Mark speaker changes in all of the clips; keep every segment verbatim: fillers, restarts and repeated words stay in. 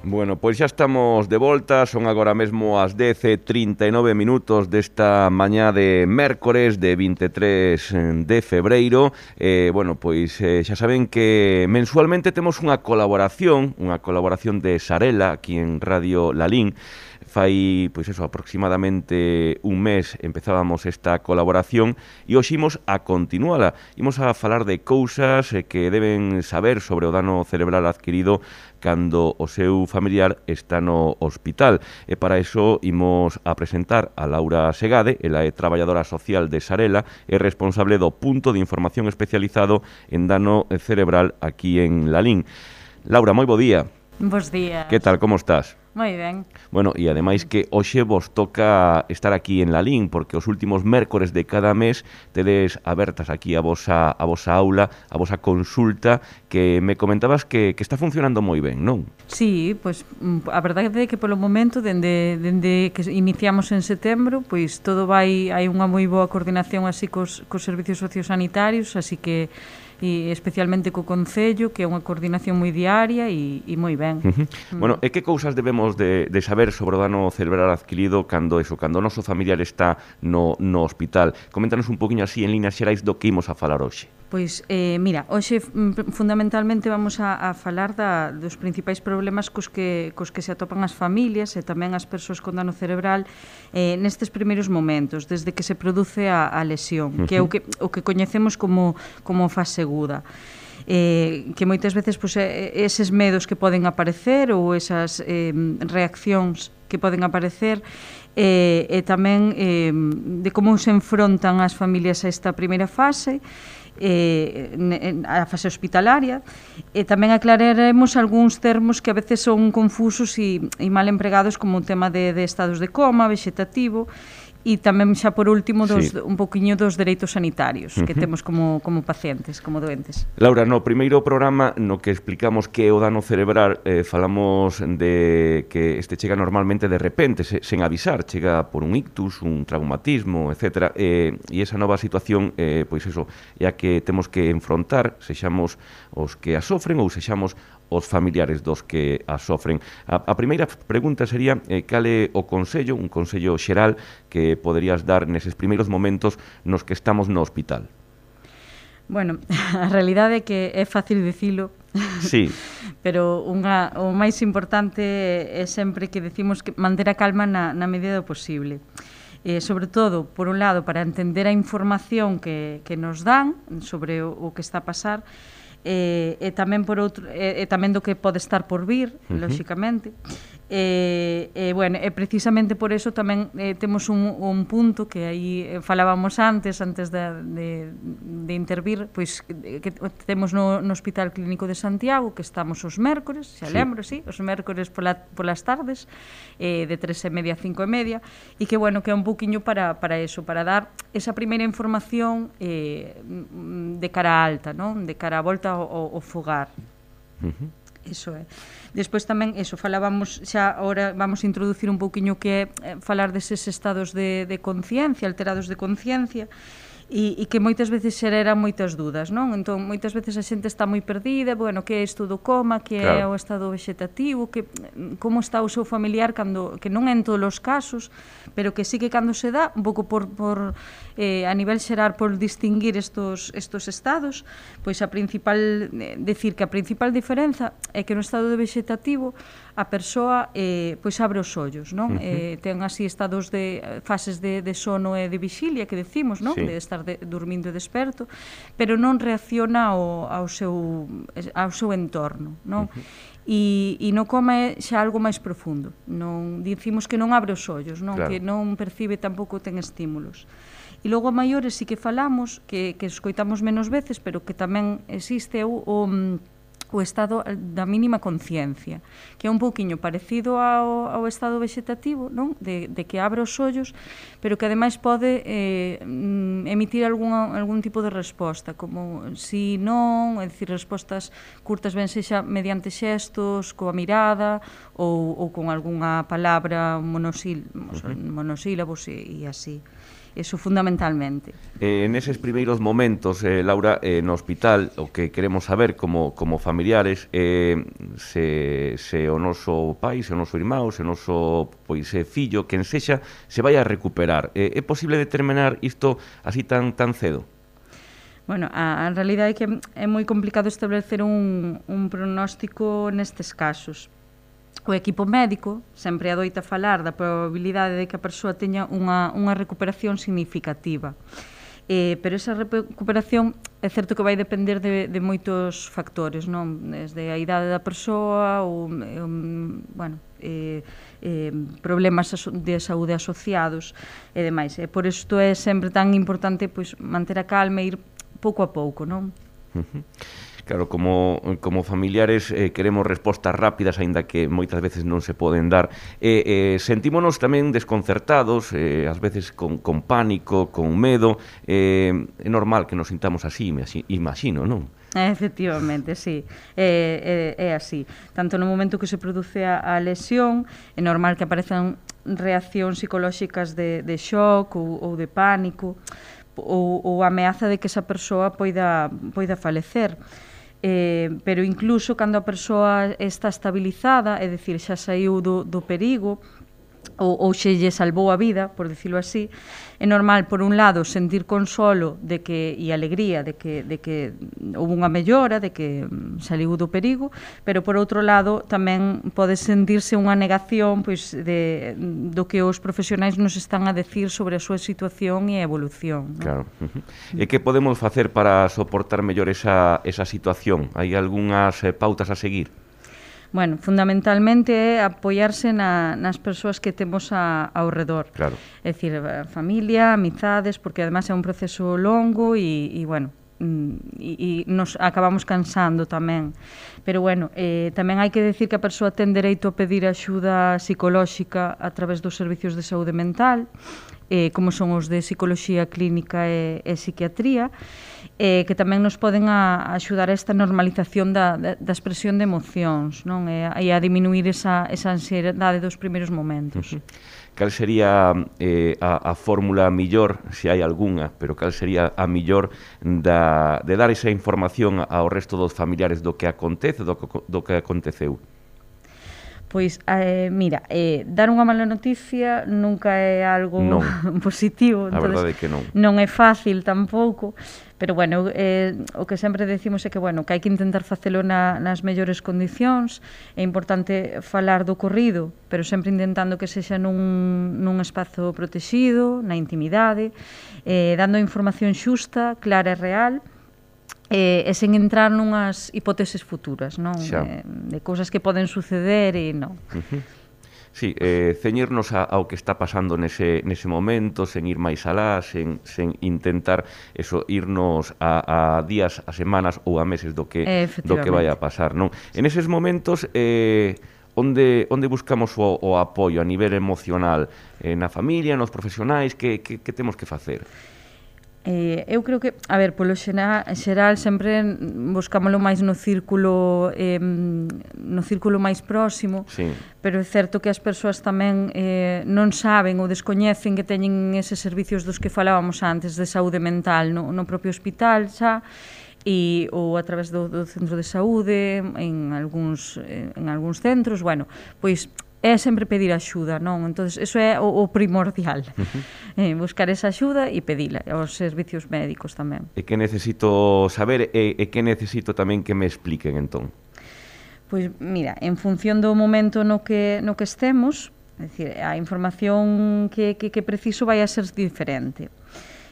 Speaker 1: Bueno, pois xa estamos de volta, son agora mesmo as dez e trinta e nove minutos desta mañá de mércores de vinte e tres de febreiro. Eh, bueno, pois eh, xa saben que mensualmente temos unha colaboración, unha colaboración de Sarela aquí en Radio Lalín. Fai, pois eso, aproximadamente un mes empezábamos esta colaboración e hoxe imos a continuala. Imos a falar de cousas que deben saber sobre o dano cerebral adquirido cando o seu familiar está no hospital. E para iso imos a presentar a Laura Segade, ela é traballadora social de Sarela e responsable do punto de información especializado en dano cerebral aquí en Lalín. Laura, moi bo día.
Speaker 2: Bos días.
Speaker 1: Que tal, como estás?
Speaker 2: Moi ben.
Speaker 1: Bueno, e ademais que hoxe vos toca estar aquí en Lalín, porque os últimos mércores de cada mes tedes abertas aquí a vosa, a vosa aula, a vosa consulta, que me comentabas que, que está funcionando moi ben, non?
Speaker 2: Sí, pois a verdade é que polo momento, dende, dende que iniciamos en setembro, pois todo vai, hai unha moi boa coordinación así cos, cos servicios sociosanitarios, así que e especialmente co Concello, que é unha coordinación moi diaria e, e moi ben.
Speaker 1: Uh -huh. mm. Bueno, e que cousas debemos de, de saber sobre o dano cerebral adquirido cando eso, cando o noso familiar está no, no hospital? Coméntanos un poquinho así en líneas xerais do que imos a falar hoxe.
Speaker 2: Pois, eh, mira, hoxe fundamentalmente vamos a, a falar da, dos principais problemas cos que, cos que se atopan as familias e tamén as persoas con dano cerebral eh, nestes primeiros momentos, desde que se produce a, a lesión, uh -huh. que é o que, o que coñecemos como, como fase aguda. Eh, que moitas veces pois, eses medos que poden aparecer ou esas eh, reaccións que poden aparecer eh, e tamén eh, de como se enfrontan as familias a esta primeira fase, eh, a fase hospitalaria, e tamén aclararemos algúns termos que a veces son confusos e, e mal empregados, como o tema de, de estados de coma, vegetativo, e tamén xa por último dos, sí. un poquinho dos dereitos sanitarios que uh -huh. temos como, como pacientes, como doentes.
Speaker 1: Laura, no primeiro programa no que explicamos que é o dano cerebral, eh, falamos de que este chega normalmente de repente, se, sen avisar, chega por un ictus, un traumatismo, etcétera, eh, e esa nova situación, eh, pois eso, é a que temos que enfrontar, sexamos os que a sofren ou sexamos os familiares dos que a sofren. A, a primeira pregunta sería eh, cal é o consello, un consello xeral que poderías dar neses primeiros momentos nos que estamos no hospital?
Speaker 2: Bueno, a realidade é que é fácil dicilo,
Speaker 1: sí.
Speaker 2: pero unha, o máis importante é sempre que decimos que manter a calma na, na medida do posible. Eh, sobre todo, por un lado, para entender a información que, que nos dan sobre o, o que está a pasar, e, e tamén por outro e, e tamén do que pode estar por vir, uh -huh. lóxicamente. E, e, bueno, e precisamente por eso tamén eh, temos un, un punto que aí falábamos antes, antes de, de, de intervir, pois que, que temos no, no Hospital Clínico de Santiago, que estamos os mércores, xa sí. lembro, sí, os mércores pola, polas tardes, eh, de tres e media a cinco e media, e que, bueno, que é un poquinho para, para eso, para dar esa primeira información eh, de cara alta, non? De cara a volta ao, ao fogar. Uh -huh. Iso é. Despois tamén, eso, falábamos, xa agora vamos a introducir un pouquiño que é falar deses estados de, de conciencia, alterados de conciencia, e, e que moitas veces xeran moitas dúdas, non? Entón, moitas veces a xente está moi perdida, bueno, que é isto do coma, que claro. é o estado vegetativo, que como está o seu familiar, cando, que non é en todos os casos, pero que sí que cando se dá, un pouco por, por eh, a nivel xeral, por distinguir estos, estos estados, pois a principal, eh, decir que a principal diferenza é que no estado de vegetativo a persoa eh, pois abre os ollos, non? Uh -huh. eh, ten así estados de fases de, de sono e de vixilia que decimos, non? Sí. De estar de, dormindo e desperto, pero non reacciona ao, ao seu ao seu entorno, non? Uh -huh. E, e no coma é xa algo máis profundo. Non dicimos que non abre os ollos, non? Claro. Que non percibe, tampouco ten estímulos. E logo a maiores sí que falamos, que, que escoitamos menos veces, pero que tamén existe o, o o estado da mínima conciencia, que é un pouquiño parecido ao, ao estado vegetativo, non? De, de que abre os ollos, pero que ademais pode eh, emitir algún, algún tipo de resposta, como si, non, é dicir, respostas curtas ben sexa mediante xestos, coa mirada, ou, ou con algunha palabra monosil, uh -huh. monosílabos e, e así. eso fundamentalmente.
Speaker 1: Eh, neses primeiros momentos, eh, Laura, eh, no hospital, o que queremos saber como, como familiares, eh, se, se o noso pai, se o noso irmão, se o noso pois, eh, fillo, quen sexa, se vai a recuperar. Eh, é posible determinar isto así tan, tan cedo?
Speaker 2: Bueno, a, a realidade é que é moi complicado establecer un, un pronóstico nestes casos. O equipo médico sempre adoita falar da probabilidade de que a persoa teña unha, unha recuperación significativa. Eh, pero esa recuperación é certo que vai depender de, de moitos factores, non? Desde a idade da persoa, ou, um, bueno, eh, eh, problemas de saúde asociados e demais. E por isto é sempre tan importante pois, manter a calma e ir pouco a pouco, non?
Speaker 1: Uh-huh. Claro, como, como familiares eh, queremos respostas rápidas, aínda que moitas veces non se poden dar. Eh, eh, sentímonos tamén desconcertados, eh, ás veces con, con pánico, con medo. Eh, é normal que nos sintamos así, imagino, non?
Speaker 2: Efectivamente, sí, é, é, é así. Tanto no momento que se produce a, a lesión, é normal que aparezan reaccións psicolóxicas de, de shock ou, ou de pánico, ou, ou a ameaza de que esa persoa poida, poida falecer. Eh, pero incluso cando a persoa está estabilizada, é dicir, xa saiu do, do perigo, ou, ou xe lle salvou a vida, por dicilo así, é normal, por un lado, sentir consolo de que, e alegría de que, de que houve unha mellora, de que saliu do perigo, pero por outro lado tamén pode sentirse unha negación pois, de, do que os profesionais nos están a decir sobre a súa situación e a evolución, non?
Speaker 1: Claro. Uh-huh. E que podemos facer para soportar mellor esa, esa situación? Hai algunhas eh, pautas a seguir?
Speaker 2: Bueno, fundamentalmente é apoiarse na, nas persoas que temos a, ao redor.
Speaker 1: Claro.
Speaker 2: É dicir, a familia, amizades, porque además é un proceso longo e, e bueno, e, e nos acabamos cansando tamén. Pero bueno, eh, tamén hai que decir que a persoa ten dereito a pedir axuda psicolóxica a través dos servicios de saúde mental, eh, como son os de psicoloxía clínica e, e psiquiatría, eh, que tamén nos poden a, a axudar a esta normalización da, da, da expresión de emocións, non? E, e a diminuir esa, esa ansiedade dos primeiros momentos.
Speaker 1: Uh-huh. Cal sería eh, a, a fórmula millor, se hai algunha, pero cal sería a millor da, de dar esa información ao resto dos familiares do que acontece, do, do que aconteceu?
Speaker 2: Pois, eh, mira, eh, dar unha mala noticia nunca é algo
Speaker 1: non.
Speaker 2: positivo.
Speaker 1: A verdade é que non.
Speaker 2: Non é fácil tampouco, pero, bueno, eh, o que sempre decimos é que, bueno, que hai que intentar facelo na, nas mellores condicións. É importante falar do ocorrido, pero sempre intentando que sexa nun, nun espazo protegido, na intimidade, eh, dando información xusta, clara e real, Eh, e sen entrar nunhas hipóteses futuras, non? Eh, de cousas que poden suceder e non.
Speaker 1: Uh-huh. Sí, eh, ceñirnos a, ao que está pasando nese, nese momento, sen ir máis alá, sen, sen intentar eso, irnos a, a días, a semanas ou a meses do que, do que vai a pasar, non? En eses momentos, eh, onde, onde buscamos o, o apoio a nivel emocional? Eh, na familia, nos profesionais, que, que, que temos que facer?
Speaker 2: Eh, eu creo que, a ver, polo xeral, xeral sempre buscámoslo máis no círculo eh, no círculo máis próximo,
Speaker 1: sí.
Speaker 2: Pero é certo que as persoas tamén eh, non saben ou descoñecen que teñen eses servicios dos que falábamos antes de saúde mental no, no propio hospital xa, e, ou a través do, do centro de saúde, en algúns, en algúns centros, bueno, pois é sempre pedir axuda, non? Entonces, eso é o, o primordial. Uh-huh. eh, buscar esa axuda e pedila aos servicios médicos tamén.
Speaker 1: E que necesito saber e, e que necesito tamén que me expliquen, entón?
Speaker 2: Pois, mira, en función do momento no que, no que estemos, é dicir, a información que, que, que preciso vai a ser diferente.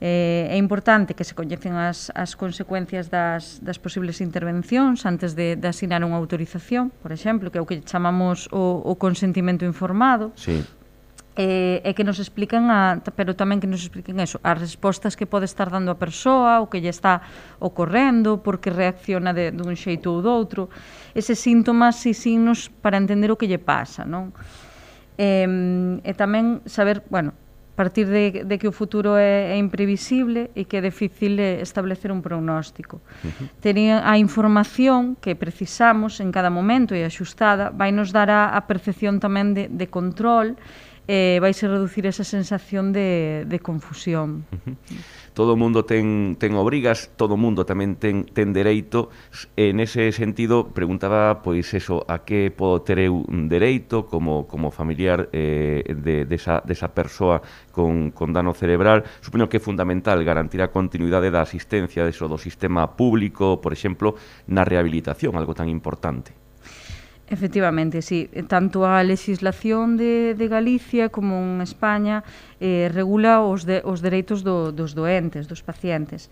Speaker 2: Eh, é importante que se coñecen as, as consecuencias das, das posibles intervencións antes de, de asinar unha autorización, por exemplo, que é o que chamamos o, o consentimento informado.
Speaker 1: Sí.
Speaker 2: Eh, e que nos expliquen, a, pero tamén que nos expliquen eso, as respostas que pode estar dando a persoa, o que lle está ocorrendo, porque reacciona de, dun xeito ou doutro, eses síntomas e signos para entender o que lle pasa, non? Eh, e tamén saber, bueno, partir de, de que o futuro é, é imprevisible e que é difícil establecer un pronóstico. Uh-huh. Tener a información que precisamos en cada momento e axustada vai nos dar a, a percepción tamén de, de control eh, vaise reducir esa sensación de, de confusión.
Speaker 1: Uh-huh. Todo o mundo ten, ten obrigas, todo o mundo tamén ten, ten dereito. En ese sentido, preguntaba, pois, eso, a que podo ter eu un dereito como, como familiar eh, de, de, esa, de esa persoa con, con dano cerebral. Supoño que é fundamental garantir a continuidade da asistencia deso, do sistema público, por exemplo, na rehabilitación, algo tan importante.
Speaker 2: Efectivamente, sí. Tanto a legislación de, de Galicia como en España eh, regula os, de, os dereitos do, dos doentes, dos pacientes.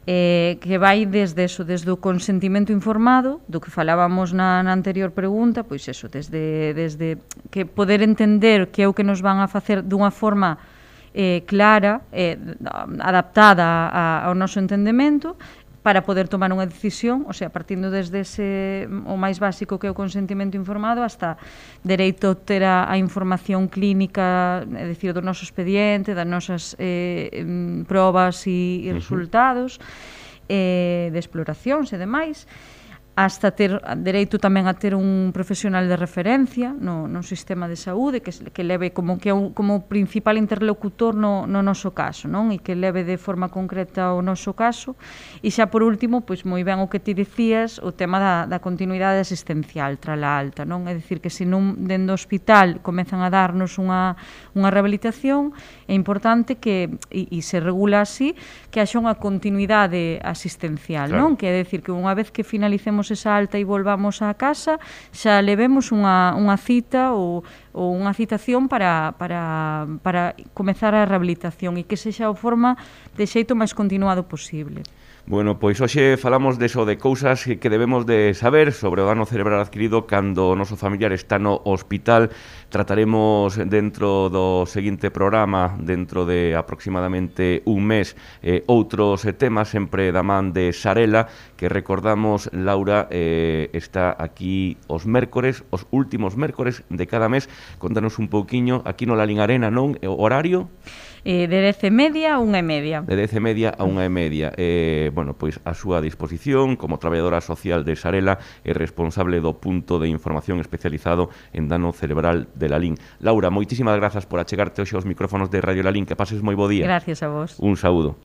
Speaker 2: Eh, que vai desde eso, desde o consentimento informado, do que falábamos na, na anterior pregunta, pois eso, desde, desde que poder entender que é o que nos van a facer dunha forma eh, clara, eh, adaptada a, ao noso entendemento, para poder tomar unha decisión, o sea, partindo desde ese, o máis básico que é o consentimento informado, hasta dereito a ter a, a información clínica, é dicir, do noso expediente, das nosas eh, probas e, e resultados, eh, de exploracións e demais, hasta ter dereito tamén a ter un profesional de referencia no, no sistema de saúde que, que leve como que un, como principal interlocutor no, no noso caso, non? E que leve de forma concreta o noso caso. E xa por último, pois moi ben o que ti dicías, o tema da, da continuidade asistencial tras a alta, non? É dicir, que se non dentro do hospital comezan a darnos unha, unha rehabilitación, é importante que, e, e se regula así, que haxa unha continuidade asistencial, claro. Non? Que é dicir, que unha vez que finalicemos esa alta e volvamos á casa, xa levemos unha, unha cita ou, ou unha citación para, para, para comezar a rehabilitación e que sexa a forma de xeito máis continuado posible.
Speaker 1: Bueno, pois hoxe falamos deso, de cousas que debemos de saber sobre o dano cerebral adquirido cando o noso familiar está no hospital. Trataremos dentro do seguinte programa, dentro de aproximadamente un mes, eh, outros temas, sempre da man de Sarela, que recordamos, Laura, eh, está aquí os mércores, os últimos mércores de cada mes. Contanos un pouquiño, aquí no Lalín Arena, non? O horario?
Speaker 2: Eh, de dez e media a unha e media.
Speaker 1: De dez e media a unha e media. Eh, bueno, pois a súa disposición como traballadora social de Sarela e responsable do punto de información especializado en dano cerebral de Lalín. Laura, moitísimas grazas por achegarte hoxe aos micrófonos de Radio Lalín. Que pases moi bo día.
Speaker 2: Gracias a vos.
Speaker 1: Un saúdo.